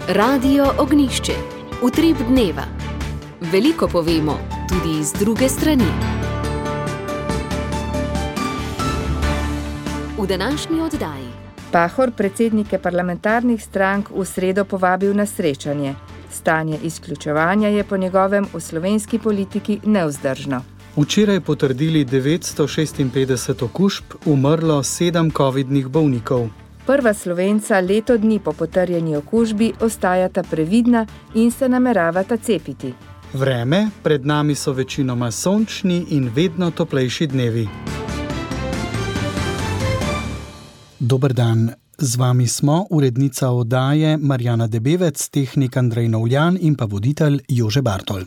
Radio Ognjišče. Utrip dneva. Veliko povemo, tudi z druge strani. V današnji oddaji. Pahor predsednike parlamentarnih strank v sredo povabil na srečanje. Stanje izključevanja je po njegovem v slovenski politiki nevzdržno. Včeraj potrdili 956 okužb, umrlo 7 covidnih bolnikov. Prva Slovenca leto dni po potrjeni okužbi ostajata previdna in se nameravata cepiti. Vreme, pred nami so večinoma sončni in vedno toplejši dnevi. Dober dan, z vami smo urednica oddaje Marjana Debevec, tehnik Andrej Novljan in pa voditelj Jože Bartol.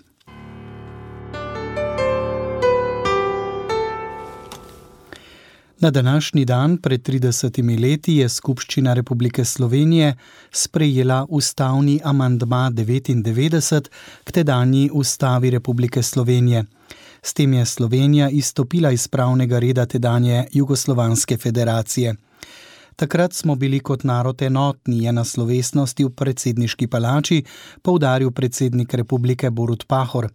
Na današnji dan pred 30 leti je Skupščina Republike Slovenije sprejela ustavni amandma 99 k tedanji Ustavi Republike Slovenije. S tem je Slovenija izstopila iz pravnega reda tedanje Jugoslovanske federacije. Takrat smo bili kot narod enotni, je na slovesnosti v predsedniški palači poudaril predsednik republike Borut Pahor.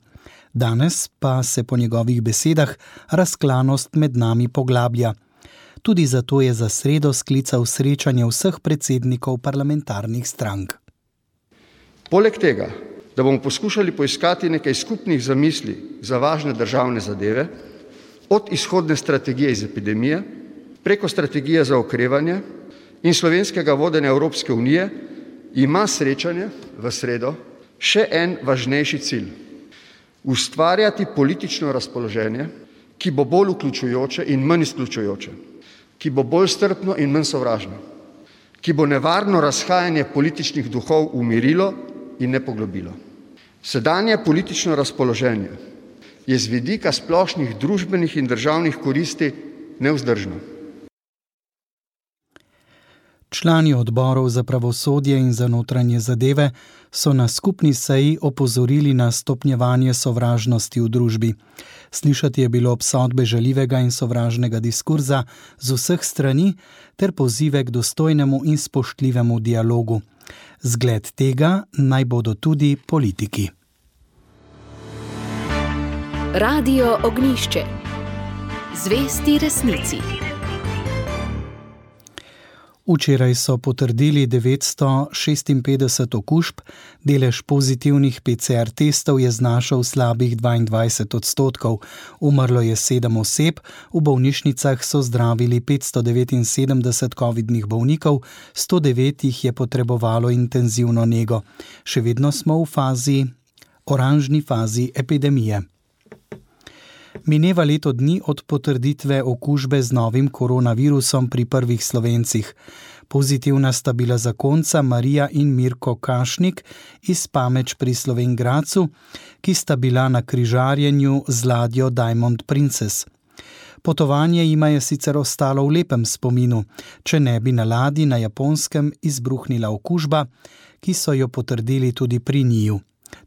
Danes pa se po njegovih besedah razklanost med nami poglablja. Tudi zato je za sredo sklical srečanje vseh predsednikov parlamentarnih strank. Poleg tega, da bomo poskušali poiskati nekaj skupnih zamisli za važne državne zadeve, od izhodne strategije iz epidemije, preko strategije za okrevanje in slovenskega vodenja Evropske unije, ima srečanje v sredo še en važnejši cilj. Ustvarjati politično razpoloženje, ki bo bolj vključujoče in manj izključujoče, ki bo bolj strpno in manj sovražno, ki bo nevarno razhajanje političnih duhov umirilo in ne poglobilo. Sedanje politično razpoloženje je z vidika splošnih družbenih in državnih koristi nevzdržno. Člani odborov za pravosodje in za notranje zadeve so na skupni seji opozorili na stopnjevanje sovražnosti v družbi. Slišati je bilo obsodbe žaljivega in sovražnega diskurza z vseh strani ter pozive k dostojnemu in spoštljivemu dialogu. Zgled tega naj bodo tudi politiki. Radio Ognjišče. Zvesti resnici. Včeraj so potrdili 956 okužb, delež pozitivnih PCR testov je znašal slabih 22%, umrlo je 7 oseb, v bolnišnicah so zdravili 579 covidnih bolnikov, 109 jih je potrebovalo intenzivno nego. Še vedno smo v oranžni fazi epidemije. Mineva leto dni od potrditve okužbe z novim koronavirusom pri prvih Slovencih. Pozitivna sta bila zakonca Marija in Mirko Kašnik iz Pameč pri Slovenj Gradcu, ki sta bila na križarjenju z ladjo Diamond Princess. Potovanje jima je sicer ostalo v lepem spominu, če ne bi na ladji na Japonskem izbruhnila okužba, ki so jo potrdili tudi pri njiju.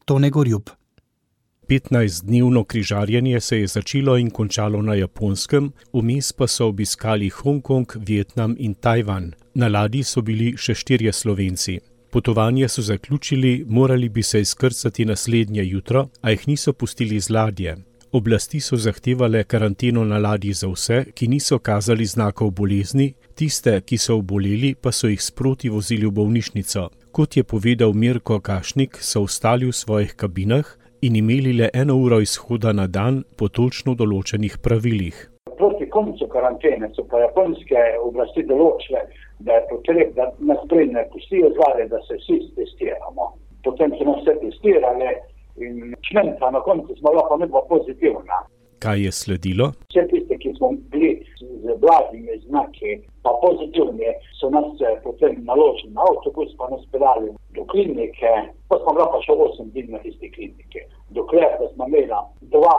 Tone Gorjup. 15-dnevno križarjenje se je začelo in končalo na Japonskem, vmes pa so obiskali Hongkong, Vietnam in Tajvan. Na ladji so bili še 4 Slovenci. Potovanje so zaključili, morali bi se izkrcati naslednje jutro, a jih niso pustili z ladje. Oblasti so zahtevale karanteno na ladji za vse, ki niso kazali znakov bolezni, tiste, ki so oboleli, pa so jih sproti vozili v bolnišnico. Kot je povedal Mirko Kašnik, so ostali v svojih kabinah in imeli le 1 uro izhoda na dan po točno določenih pravilih. Proti koncu karantene so pa japonske oblasti določile, da je potreb, da nas prej ne pustijo zvare, da se vsi testiramo. Potem so nas vse testirali in čmenka na koncu smo lahko nebila pozitivna. Kaj je sledilo? Vse tiste, ki smo bili z blagimi znaki, pa pozitivni, so nas potem naložili na avtobus, pa nas peljali do klinike, pa smo lahko še 8 dni na tisti klinike, dokler da smo imeli 2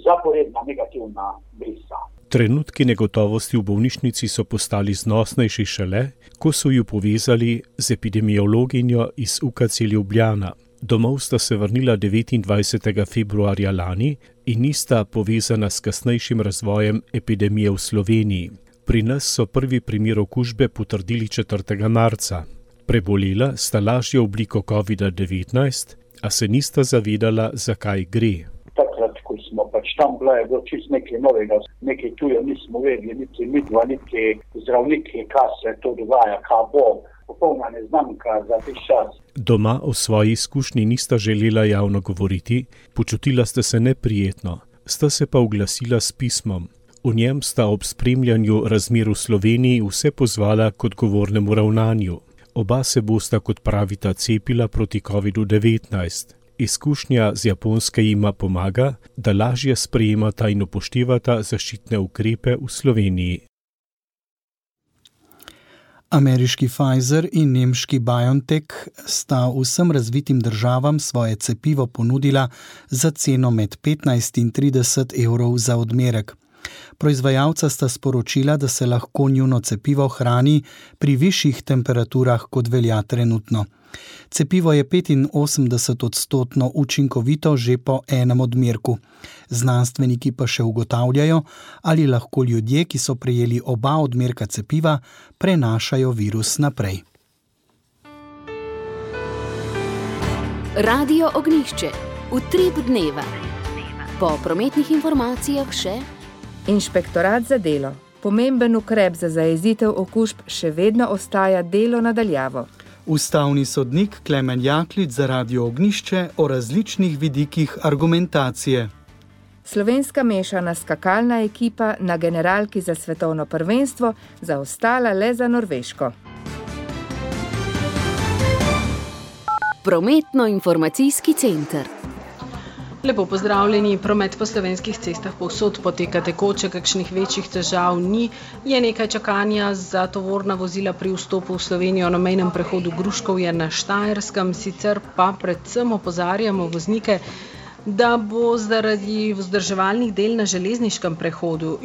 zaporedna negativna brisa. Trenutki negotovosti v bolnišnici so postali znosnejši šele, ko so ju povezali z epidemiologinjo iz UKC Ljubljana. Domov sta se vrnila 29. februarja lani in nista povezana s kasnejšim razvojem epidemije v Sloveniji. Pri nas so prvi primer okužbe potrdili 4. marca. Prebolela sta lažjo obliko COVID-19, a se nista zavedala, zakaj gre. Takrat, ko smo tam bila, je bilo čisto nekaj novega, nekaj tujo nismo vedeli, niti midva, niti zdravniki, kaj se to dogaja, kaj bo, popolna neznanka za tih čas. Doma o svoji izkušnji nista želela javno govoriti, počutila sta se neprijetno, sta se pa oglasila s pismom. V njem sta ob spremljanju razmer v Sloveniji vse pozvala k odgovornemu ravnanju. Oba se bosta, kot pravita, cepila proti COVID-19. Izkušnja z Japonske jima pomaga, da lažje sprejemata in upoštevata zaščitne ukrepe v Sloveniji. Ameriški Pfizer in nemški BioNTech sta vsem razvitim državam svoje cepivo ponudila za ceno med 15 in 30 evrov za odmerek. Proizvajalca sta sporočila, da se lahko njuno cepivo hrani pri višjih temperaturah, kot velja trenutno. Cepivo je 85% učinkovito že po enem odmerku. Znanstveniki pa še ugotavljajo, ali lahko ljudje, ki so prejeli oba odmerka cepiva, prenašajo virus naprej. Radio Ognjišče. Utrip dneva. Po prometnih informacijah še Inšpektorat za delo. Pomemben ukrep za zajezitev okužb še vedno ostaja delo na daljavo. Ustavni sodnik Klemen Jaklič za Radio Ognjišče o različnih vidikih argumentacije. Slovenska mešana skakalna ekipa na generalki za svetovno prvenstvo zaostala le za Norveško. Prometno-informacijski center. Lepo pozdravljeni, promet po slovenskih cestah povsod poteka tekoče, kakšnih večjih težav ni. Je nekaj čakanja za tovorna vozila pri vstopu v Slovenijo na mejnem prehodu Gruškovje na Štajerskem, sicer pa predvsem opozarjamo voznike, da bo zaradi vzdrževalnih del na železniškem prehodu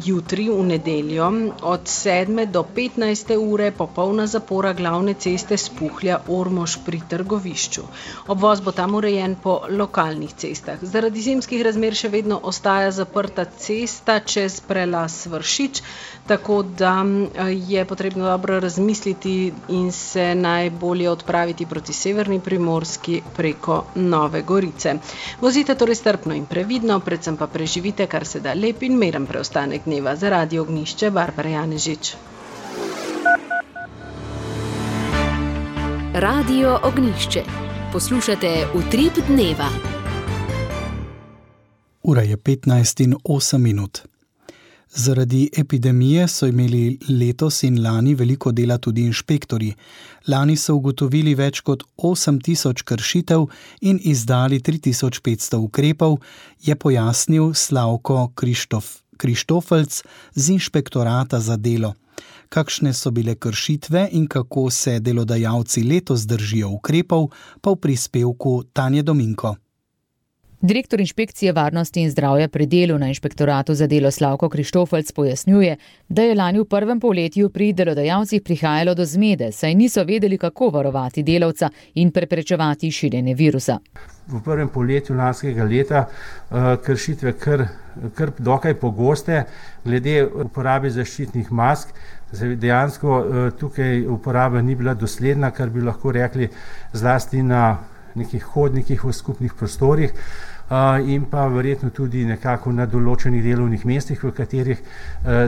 jutri v nedeljo od 7 do 15 ure popolna zapora glavne ceste Spuhlja-Ormož pri Trgovišču. Obvoz bo tam urejen po lokalnih cestah. Zaradi zimskih razmer še vedno ostaja zaprta cesta čez prelaz Vršič, tako da je potrebno dobro razmisliti in se najbolje odpraviti proti severni Primorski preko Nove Gorice. Vozite torej strpno in previdno, predvsem pa preživite kar se da lep in miren preostanek dneva. Za Radio Ognjišče, Barbara Janežič. Radio Ognjišče. Poslušate Utrip dneva. Ura je 15:08. Zaradi epidemije so imeli letos in lani veliko dela tudi inšpektorji. Lani so ugotovili več kot 8000 kršitev in izdali 3500 ukrepov, je pojasnil Slavko Krištofelc z Inšpektorata za delo. Kakšne so bile kršitve in kako se delodajalci letos držijo ukrepov, pa v prispevku Tanje Dominko. Direktor inšpekcije varnosti in zdravja pri delu na Inšpektoratu za delo Slavko Krištofelc pojasnjuje, da je lani v prvem polletju pri delodajalcih prihajalo do zmede, saj niso vedeli, kako varovati delavca in preprečevati širjenje virusa. V prvem polletju lanskega leta kršitve kar dokaj pogoste, glede uporabe zaščitnih mask. Dejansko tukaj uporaba ni bila dosledna, kar bi lahko rekli zlasti na nekih hodnikih v skupnih prostorih in pa verjetno tudi nekako na določenih delovnih mestih, v katerih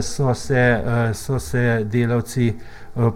so se delavci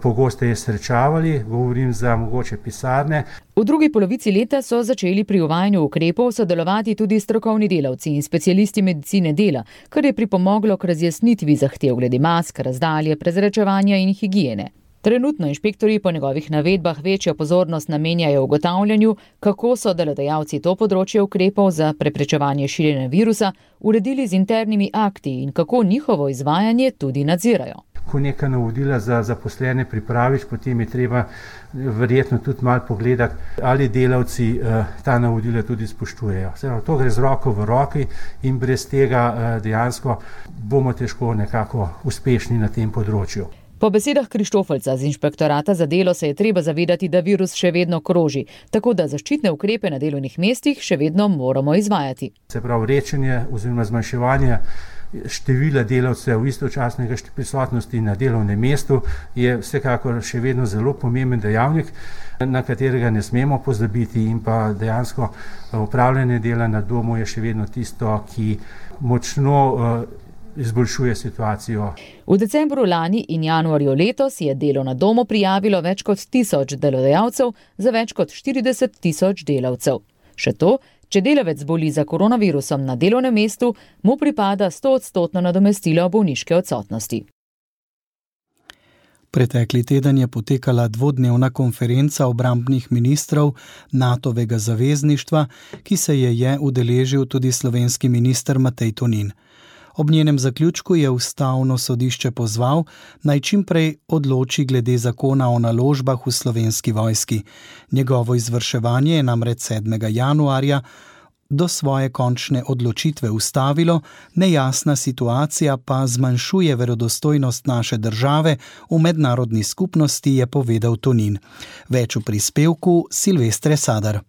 pogosteje srečavali, govorim za mogoče pisarne. V drugi polovici leta so začeli pri uvajanju ukrepov sodelovati tudi strokovni delavci in specialisti medicine dela, kar je pripomoglo k razjasnitvi zahtev glede mask, razdalje, prezračevanja in higiene. Trenutno inšpektorji po njegovih navedbah večjo pozornost namenjajo ugotavljanju, kako so delodajalci to področje ukrepov za preprečevanje širjenja virusa uredili z internimi akti in kako njihovo izvajanje tudi nadzirajo. Ko neka navodila za zaposlene pripraviš, potem je treba verjetno tudi malo pogledati, ali delavci ta navodila tudi spoštujejo. To gre z roko v roki in brez tega dejansko bomo težko nekako uspešni na tem področju. Po besedah Krištofelca z Inšpektorata za delo se je treba zavedati, da virus še vedno kroži, tako da zaščitne ukrepe na delovnih mestih še vedno moramo izvajati. Se pravi, rečenje oziroma zmanjševanje števila delavcev, istočasnega prisotnosti na delovnem mestu je vsekakor še vedno zelo pomemben dejavnik, na katerega ne smemo pozabiti, in pa dejansko opravljanje dela na domu je še vedno tisto, ki močno izboljšuje situacijo. V decembru lani in januarju letos je delo na domu prijavilo več kot 1000 delodajalcev za več kot 40 000 delavcev. Še to, če delavec boli za koronavirusom na delovnem mestu, mu pripada 100% nadomestilo bolniške odsotnosti. Pretekli teden je potekala dvodnevna konferenca obrambnih ministrov NATO-vega zavezništva, ki se je udeležil tudi slovenski minister Matej Tonin. Ob njenem zaključku je Ustavno sodišče pozval, naj čim prej odloči glede zakona o naložbah v Slovenski vojski. Njegovo izvrševanje je namreč 7. januarja do svoje končne odločitve ustavilo, nejasna situacija pa zmanjšuje verodostojnost naše države v mednarodni skupnosti, je povedal Tonin. Več v prispevku Silvestre Sadar.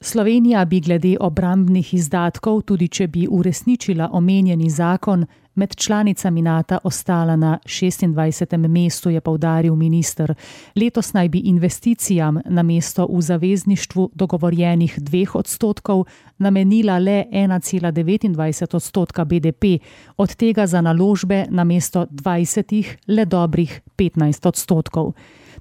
Slovenija bi glede obrambnih izdatkov, tudi če bi uresničila omenjeni zakon, med članicami NATO ostala na 26. mestu, je poudaril minister. Letos naj bi investicijam namesto v zavezništvu dogovorjenih 2% namenila le 1,29% BDP, od tega za naložbe namesto 20 le dobrih 15%.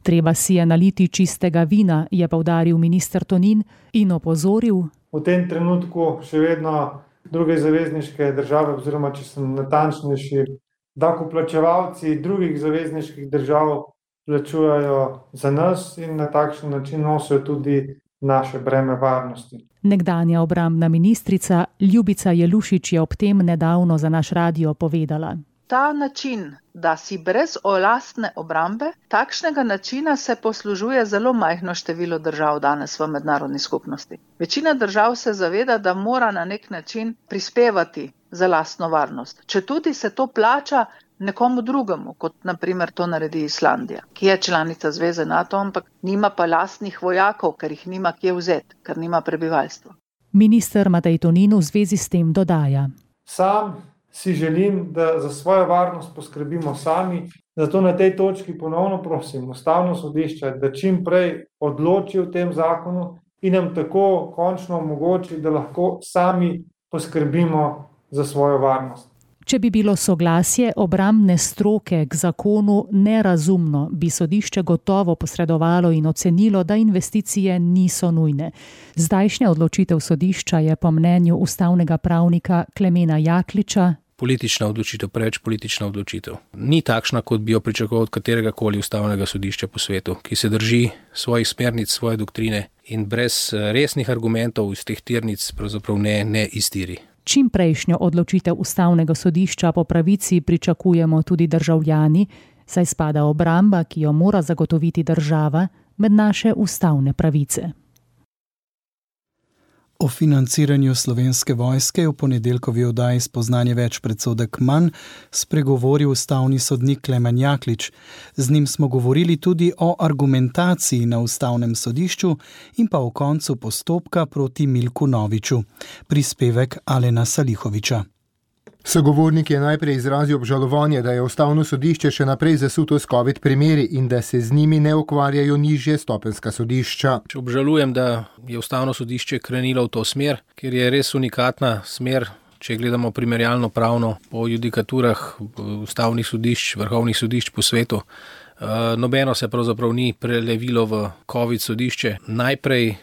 Treba si je naliti čistega vina, je poudaril minister Tonin in opozoril. V tem trenutku še vedno druge zavezniške države, oziroma če sem natančnejši, davkoplačevalci drugih zavezniških držav plačujejo za nas in na takšen način nosijo tudi naše breme varnosti. Nekdanja obrambna ministrica Ljubica Jelušič je ob tem nedavno za naš radio povedala. Ta način, da si brez lastne obrambe, takšnega načina se poslužuje zelo majhno število držav danes v mednarodni skupnosti. Večina držav se zaveda, da mora na nek način prispevati za lastno varnost. Četudi se to plača nekomu drugemu, kot naprimer to naredi Islandija, ki je članica Zveze NATO, ampak nima pa lastnih vojakov, ker jih nima kje vzeti, ker nima prebivalstva. Minister Matej Tonin v zvezi s tem dodaja. Sam si želim, da za svojo varnost poskrbimo sami, zato na tej točki ponovno prosim Ustavno sodišče, da čim prej odloči o tem zakonu in nam tako končno omogoči, da lahko sami poskrbimo za svojo varnost. Če bi bilo soglasje obrambne stroke k zakonu nerazumno, bi sodišče gotovo posredovalo in ocenilo, da investicije niso nujne. Zdajšnja odločitev sodišča je po mnenju ustavnega pravnika Klemena Jakliča politična odločitev, preveč politična odločitev. Ni takšna, kot bi jo pričakoval od katerega koli ustavnega sodišča po svetu, ki se drži svojih smernic, svoje doktrine in brez resnih argumentov iz teh tirnic pravzaprav ne iztiri. Čim prejšnjo odločitev ustavnega sodišča po pravici pričakujemo tudi državljani, saj spada obramba, ki jo mora zagotoviti država, med naše ustavne pravice. O financiranju Slovenske vojske v ponedeljkovi oddaji Spoznanje več predsodek manj spregovoril ustavni sodnik Klemen Jaklič. Z njim smo govorili tudi o argumentaciji na ustavnem sodišču in pa o koncu postopka proti Milku Noviču. Prispevek Alena Salihoviča. Sogovornik je najprej izrazil obžalovanje, da je ustavno sodišče še naprej zasuto s COVID primeri in da se z njimi ne ukvarjajo nižje stopenjska sodišča. Obžalujem, da je ustavno sodišče krenilo v to smer, ker je res unikatna smer, če gledamo primerjalno pravno po judikaturah ustavnih sodišč, vrhovnih sodišč po svetu. Nobeno se pravzaprav ni prelevilo v COVID sodišče. Najprej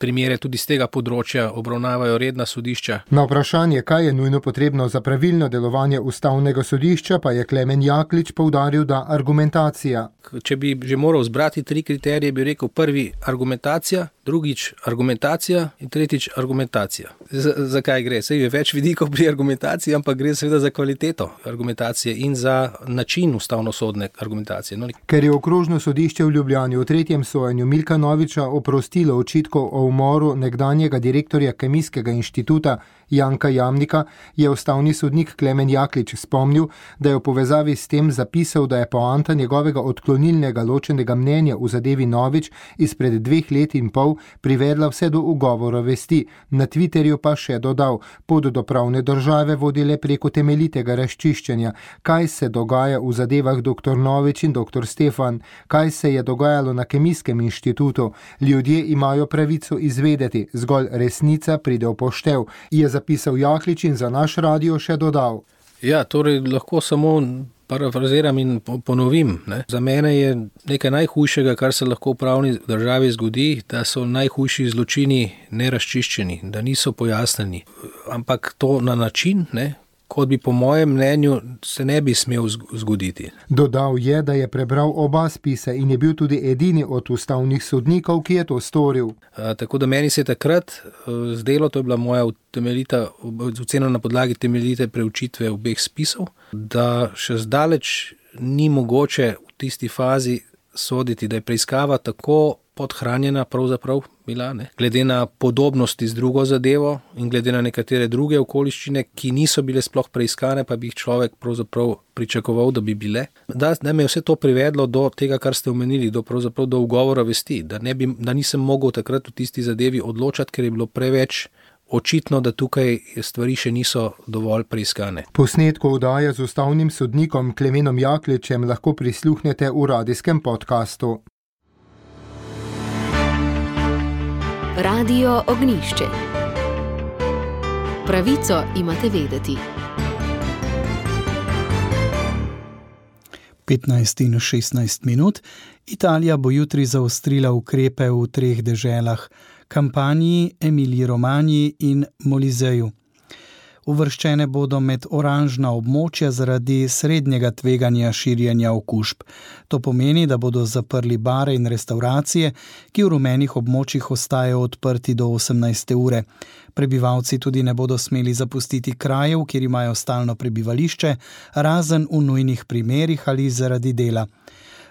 primere tudi z tega področja obravnavajo redna sodišča. Na vprašanje, kaj je nujno potrebno za pravilno delovanje ustavnega sodišča, pa je Klemen Jaklič poudaril, da argumentacija. Če bi že moral zbrati 3 kriterije, bi rekel prvi argumentacija, drugič argumentacija in tretjič argumentacija. Zakaj gre? Saj je več vidikov pri argumentaciji, ampak gre seveda za kvaliteto argumentacije in za način ustavnosodne argumentacije. Ker je okrožno sodišče v Ljubljani v 3. sojenju Milka Noviča oprostilo očitkov očitkov o umoru nekdanjega direktorja Kemijskega inštituta Janka Jamnika je ustavni sodnik Klemen Jaklič spomnil, da je v povezavi s tem zapisal, da je poanta njegovega odklonilnega ločenega mnenja v zadevi Novič izpred 2 let in pol privedla vse do ugovora vesti. Na Twitterju pa še dodal: pot do pravne države vodi le preko temeljitega razčiščenja. Kaj se dogaja v zadevah dr. Novič in dr. Stefan? Kaj se je dogajalo na Kemijskem inštitutu? Ljudje imajo pravico izvedeti, zgolj resnica pride v poštev, je zapisal Jaklič in za naš radio še dodal. Ja, torej lahko samo parafraziram in ponovim. Ne. Za mene je nekaj najhujšega, kar se lahko v pravni državi zgodi, da so najhujši zločini nerazčiščeni, da niso pojasneni. Ampak to na način, kot bi po mojem mnenju se ne bi smel zgoditi. Dodal je, da je prebral oba spise in je bil tudi edini od ustavnih sodnikov, ki je to storil. Tako da meni se je takrat zdelo, to je bila moja ocena na podlagi temeljite preučitve obeh spisov, da še zdaleč ni mogoče v tisti fazi soditi, da je preiskava tako podhranjena pravzaprav bila, glede na podobnosti z drugo zadevo in glede na nekatere druge okoliščine, ki niso bile sploh preiskane, pa bi jih človek pravzaprav pričakoval, da bi bile. Da me je vse to privedlo do tega, kar ste omenili, do ugovora vesti, da nisem mogel takrat v tisti zadevi odločati, ker je bilo preveč očitno, da tukaj stvari še niso dovolj preiskane. Posnetko oddaje z ustavnim sodnikom Klemenom Jakličem lahko prisluhnete v radijskem podkastu. Radio Ognjišče. Pravico imate vedeti. 15 in 16 minut. Italija bo jutri zaostrila ukrepe v 3 deželah, Kampaniji, Emiliji-Romanji in Molizeju. Uvrščene bodo med oranžna območja zaradi srednjega tveganja širjenja okužb. To pomeni, da bodo zaprli bare in restavracije, ki v rumenih območjih ostajajo odprti do 18. ure. Prebivalci tudi ne bodo smeli zapustiti krajev, kjer imajo stalno prebivališče, razen v nujnih primerih ali zaradi dela.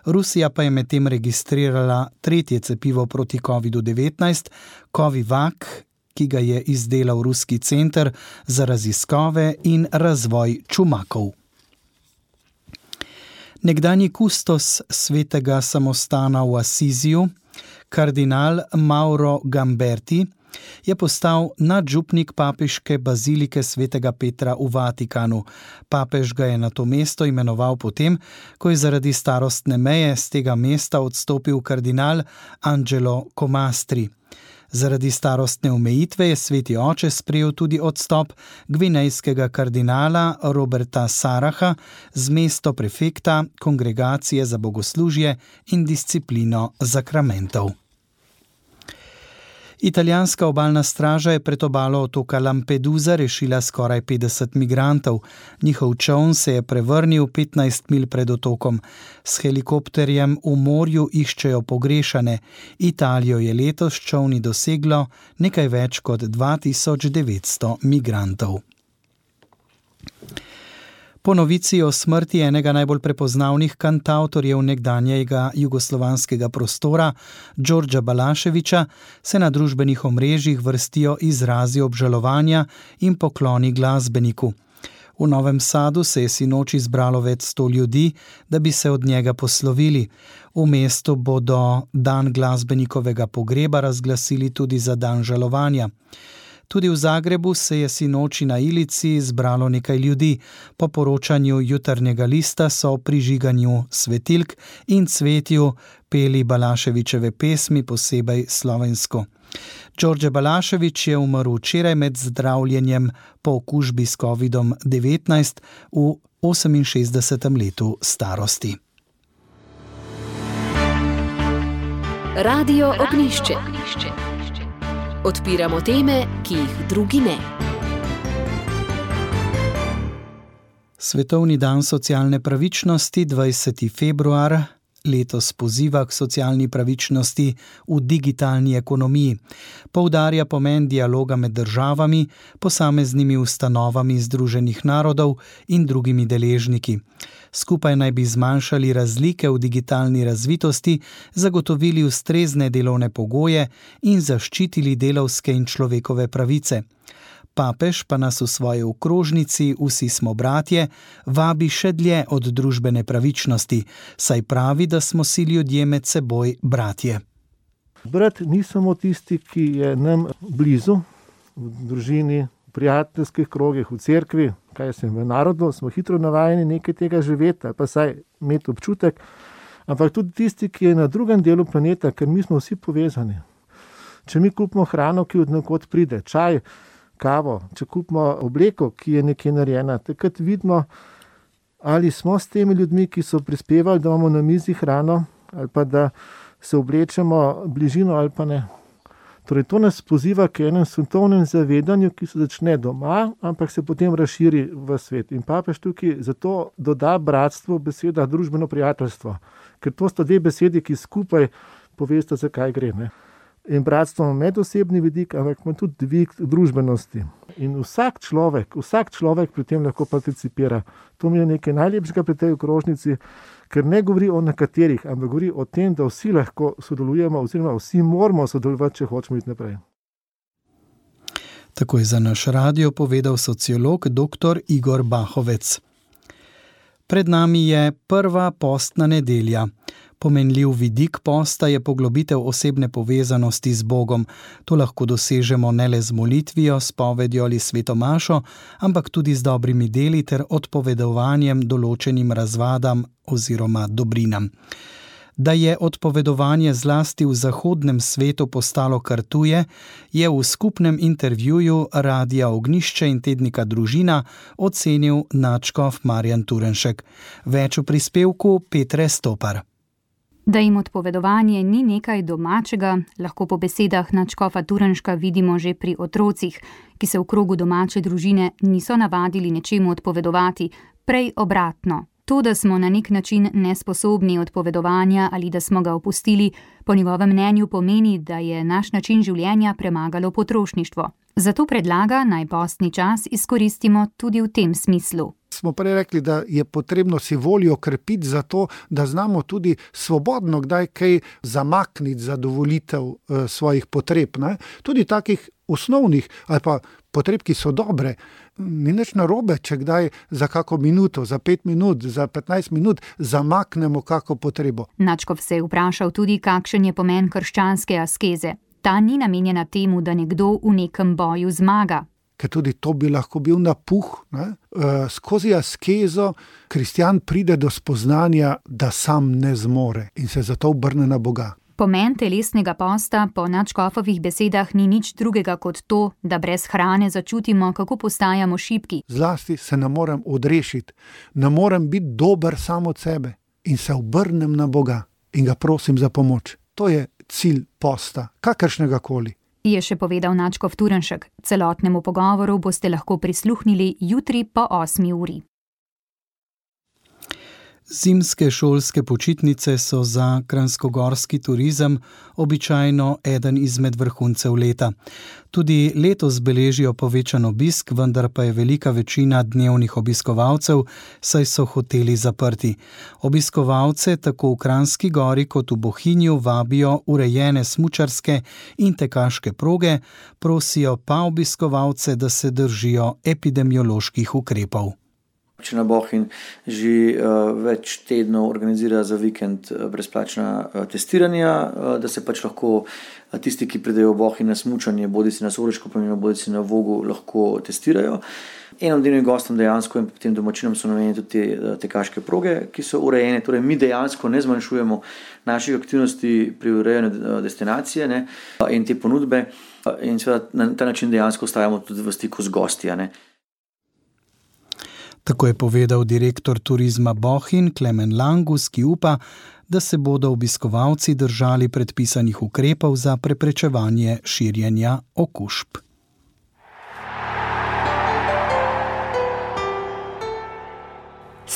Rusija pa je medtem registrirala 3. cepivo proti COVID-19, Covivac, ki ga je izdelal Ruski center za raziskave in razvoj čumakov. Nekdanji kustos svetega samostana v Asiziju, kardinal Mauro Gamberti, je postal nadžupnik papeške bazilike svetega Petra v Vatikanu. Papež ga je na to mesto imenoval potem, ko je zaradi starostne meje z tega mesta odstopil kardinal Angelo Comastri. Zaradi starostne omejitve je sveti oče sprejel tudi odstop gvinejskega kardinala Roberta Saraha z mesto prefekta Kongregacije za bogoslužje in disciplino zakramentov. Italijanska obalna straža je pred obalo otoka Lampedusa rešila skoraj 50 migrantov. Njihov čoln se je prevrnil 15 mil pred otokom. S helikopterjem v morju iščejo pogrešane. Italijo je letos s čolni doseglo nekaj več kot 2900 migrantov. Po novici o smrti enega najbolj prepoznavnih kantavtorjev nekdanjega jugoslovanskega prostora, Đorđa Balaševića, se na družbenih omrežjih vrstijo izrazi obžalovanja in pokloni glasbeniku. V Novem Sadu se je sinoči zbralo več 100 ljudi, da bi se od njega poslovili. V mestu bodo dan glasbenikovega pogreba razglasili tudi za dan žalovanja. Tudi v Zagrebu se je sinoči na Ilici zbralo nekaj ljudi. Po poročanju Jutarnjega lista so o prižiganju svetilk in cvetju peli Balaševićeve pesmi, posebej slovensko. Đorđe Balašević je umrl včeraj med zdravljenjem po okužbi s COVID-19 v 68. letu starosti. Radio Ognjišče. Odpiramo teme, ki jih drugi ne. Svetovni dan socialne pravičnosti, 20. februar, letos poziva k socialni pravičnosti v digitalni ekonomiji. Poudarja pomen dialoga med državami, posameznimi ustanovami Združenih narodov in drugimi deležniki. Skupaj naj bi zmanjšali razlike v digitalni razvitosti, zagotovili ustrezne delovne pogoje in zaščitili delavske in človekove pravice. Papež pa nas v svoji okrožnici Vsi smo bratje vabi še dlje od družbene pravičnosti, saj pravi, da smo si ljudje med seboj bratje. Brat ni samo tisti, ki je nam blizu, v družini, v prijateljskih krogih, v cerkvi, v narodu, smo hitro navajeni nekaj tega živeti, pa saj imeti občutek, ampak tudi tisti, ki je na drugem delu planeta, ker mi smo vsi povezani. Če mi kupimo hrano, ki od nekod pride, čaj, kavo, če kupimo obleko, ki je nekje narejena, takrat vidimo, ali smo s temi ljudmi, ki so prispevali, da imamo na mizi hrano, ali pa da se oblečemo bližino ali pa ne. Torej, to nas poziva k enem svetovnem zavedanju, ki se začne doma, ampak se potem razširi v svet. In papež tukaj zato doda bratstvo beseda družbeno prijateljstvo, ker to sta dve besedi, ki skupaj povesta, zakaj gre. Ne? In bratstvo ima medosebni vidik, ampak ima tudi dvig družbenosti. In vsak človek pri tem lahko participira. To mi je nekaj najlepšega pri tej okrožnici, ker ne govori o nekaterih, ampak govori o tem, da vsi lahko sodelujemo, oziroma vsi moramo sodelovati, če hočemo iti naprej. Tako je za naš radio povedal sociolog dr. Igor Bahovec. Pred nami je prva postna nedelja. Pomenljiv vidik posta je poglobitev osebne povezanosti z Bogom. To lahko dosežemo ne le z molitvijo, spovedjo ali svetomašo, ampak tudi z dobrimi deli ter odpovedovanjem določenim razvadam oziroma dobrinam. Da je odpovedovanje zlasti v zahodnem svetu postalo kar tuje, je v skupnem intervjuju Radia Ognjišče in tednika Družina ocenil nadškof Marjan Turnšek. Več v prispevku Petre Stopar. Da jim odpovedovanje ni nekaj domačega, lahko po besedah nadškofa Turnška vidimo že pri otrocih, ki se v krogu domače družine niso navadili nečemu odpovedovati, prej obratno. To, da smo na nek način nesposobni odpovedovanja ali da smo ga opustili, po njegovem mnenju pomeni, da je naš način življenja premagalo potrošništvo. Zato predlaga, naj postni čas izkoristimo tudi v tem smislu. Smo prej rekli, da je potrebno si voljo krepiti za to, da znamo tudi svobodno kdaj kaj zamakniti zadovolitev svojih potreb. Ne? Tudi takih osnovnih ali pa potreb, ki so dobre. Ni nič narobe, če kdaj za kako minuto, za 5 minut, za 15 minut zamaknemo kako potrebo. Nadškof se je vprašal tudi, kakšen je pomen krščanske askeze. Ta ni namenjena temu, da nekdo v nekem boju zmaga. Ker tudi to bi lahko bil napuh. Skozi askezo kristjan pride do spoznanja, da sam ne zmore in se zato obrne na Boga. Pomen telesnega posta po nadškofovih besedah ni nič drugega kot to, da brez hrane začutimo, kako postajamo šibki. Zlasti se ne morem odrešiti, ne morem biti dober sam od sebe in se obrnem na Boga in ga prosim za pomoč. To je cilj posta, kakršnega koli. Je še povedal nadškof Turnšek. Celotnemu pogovoru boste lahko prisluhnili jutri po 8. uri. Zimske šolske počitnice so za kranjskogorski turizem običajno eden izmed vrhuncev leta. Tudi letos beležijo povečan obisk, vendar pa je velika večina dnevnih obiskovalcev, saj so hoteli zaprti. Obiskovalce tako v Kranjski Gori kot v Bohinju vabijo urejene smučarske in tekaške proge, prosijo pa obiskovalce, da se držijo epidemioloških ukrepov. Občina Bohinj že več tednov organizira za vikend brezplačna testiranja, da se pač lahko tisti, ki pridejo v Bohinj na smučanje, bodisi na Soreško planino, bodisi na Vogu, lahko testirajo. Enodnevnim gostom dejansko in potem domačinom so namenjene tudi tekaške proge, ki so urejene. Torej, mi dejansko ne zmanjšujemo naših aktivnosti pri urejanju destinacije in te ponudbe in seveda na ta način dejansko ostajamo tudi v stiku z gosti. Tako je povedal direktor turizma Bohinj Klemen Langus, ki upa, da se bodo obiskovalci držali predpisanih ukrepov za preprečevanje širjenja okužb.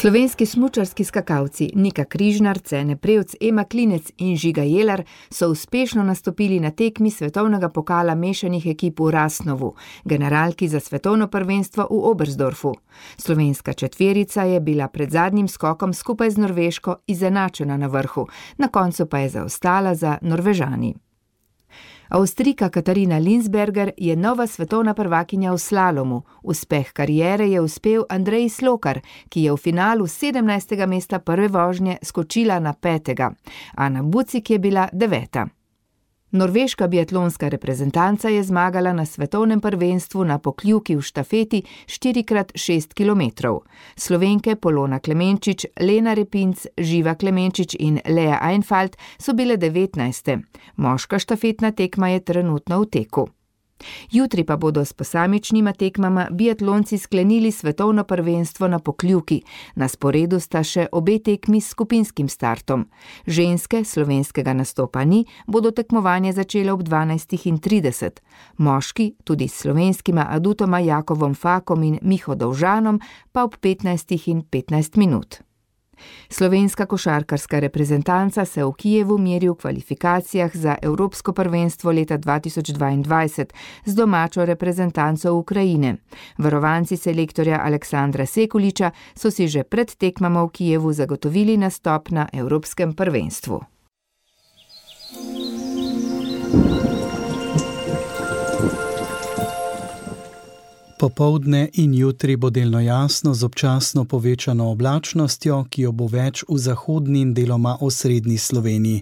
Slovenski smučarski skakalci Nika Križnar, Cene Prevc, Ema Klinec in Žiga Jelar so uspešno nastopili na tekmi svetovnega pokala mešanih ekip v Rasnovu, generalki za svetovno prvenstvo v Oberstdorfu. Slovenska četverica je bila pred zadnjim skokom skupaj z Norveško izenačena na vrhu, na koncu pa je zaostala za Norvežani. Avstrijka Katarina Linsberger je nova svetovna prvakinja v slalomu. Uspeh kariere je uspel Andreji Slokar, ki je v finalu 17. mesta prve vožnje skočila na 5. Ana Bucik je bila 9. Norveška biatlonska reprezentanca je zmagala na svetovnem prvenstvu na pokljuki v štafeti 4x6 km. Slovenke Polona Klemenčič, Lena Repinc, Živa Klemenčič in Lea Einfalt so bile 19. Moška štafetna tekma je trenutno v teku. Jutri pa bodo s posamičnima tekmama biatlonci sklenili svetovno prvenstvo na pokljuki. Na sporedu sta še obe tekmi s skupinskim startom. Ženske, slovenskega nastopa ni, bodo tekmovanje začele ob 12:30. Moški, tudi s slovenskima adutoma Jakovom Fakom in Miho Dovžanom, pa ob 15:15. Slovenska košarkarska reprezentanca se v Kijevu meri v kvalifikacijah za Evropsko prvenstvo leta 2022 z domačo reprezentanco Ukrajine. Varovanci selektorja Aleksandra Sekuliča so si že pred tekmama v Kijevu zagotovili nastop na Evropskem prvenstvu. Popoldne in jutri bo delno jasno z občasno povečano oblačnostjo, ki jo bo več v zahodni in deloma osrednji Sloveniji.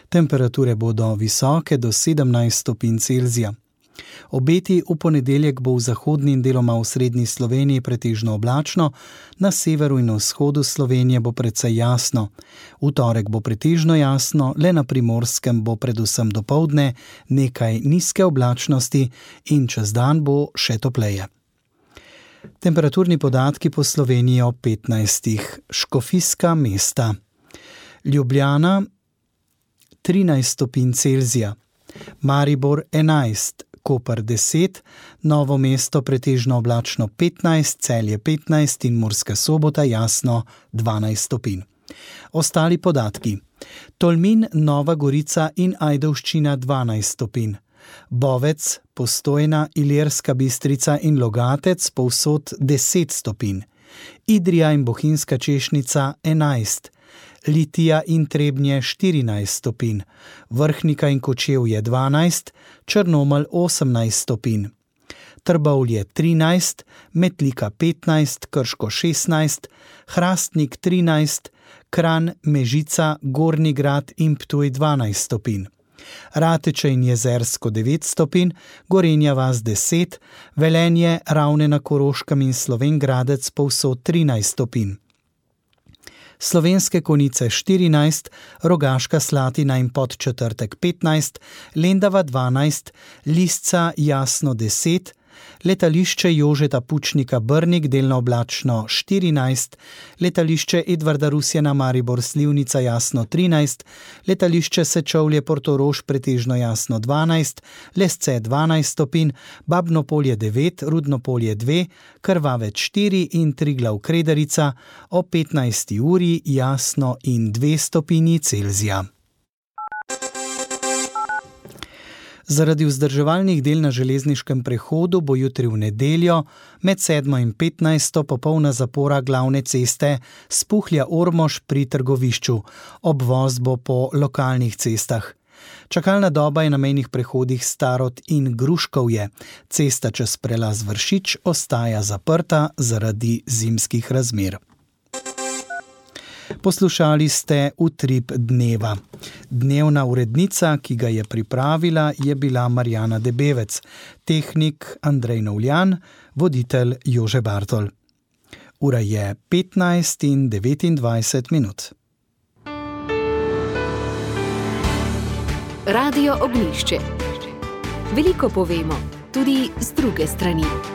Temperature bodo visoke do 17 stopinj Celzija. Obeti v ponedeljek bo v zahodni in deloma osrednji Sloveniji pretežno oblačno, na severu in vzhodu Slovenije bo precej jasno. V torek bo pretežno jasno, le na Primorskem bo predvsem dopoldne nekaj nizke oblačnosti in čez dan bo še topleje. Temperaturni podatki po Sloveniji o 15. Škofijska mesta. Ljubljana 13 stopinj Celzija, Maribor 11, Koper 10, Novo mesto pretežno oblačno 15, Celje 15 in Murska Sobota jasno 12 stopinj. Ostali podatki. Tolmin, Nova Gorica in Ajdovščina 12 stopinj. Bovec, Postojna, Ilirska Bistrica in Logatec povsod 10 stopinj. Idrija in Bohinjska Češnica 11, Litija in Trebnje 14 stopinj, Vrhnika in Kočevje 12, Črnomelj 18 stopinj. Trbovlje 13, Metlika 15, Krško 16, Hrastnik 13, Kranj, Mežica, Gornji Grad in Ptuj 12 stopinj. Rateče in Jezersko 9 stopinj, Gorenja vas 10, Velenje, Ravne na Koroškem in Slovenj Gradec povsod 13 stopinj. Slovenske Konjice 14, Rogaška Slatina in Podčetrtek 15, Lendava 12, Lisca jasno 10, letališče Jožeta Pučnika Brnik delno oblačno 14, letališče Edvarda Rusjana Maribor Slivnica jasno 13, letališče Sečovlje Portorož pretežno jasno 12, Lesce 12 stopinj, Babno Polje 9, Rudno Polje 2, Krvavec 4 in Triglav Krederica o 15. uri jasno in 2 stopinji Celzija. Zaradi vzdrževalnih del na železniškem prehodu bo jutri v nedeljo med 7. in 15. popolna zapora glavne ceste Spuhlja-Ormož pri Trgovišču. Obvoz bo po lokalnih cestah. Čakalna doba je na mejnih prehodih Starod in Gruškovje. Cesta čez prelaz Vršič ostaja zaprta zaradi zimskih razmer. Poslušali ste Utrip dneva. Dnevna urednica, ki ga je pripravila, je bila Marjana Debevec, tehnik Andrej Novljan, voditelj Jože Bartol. Ura je 15:29 minut. Radio Ognjišče. Veliko povemo, tudi z druge strani.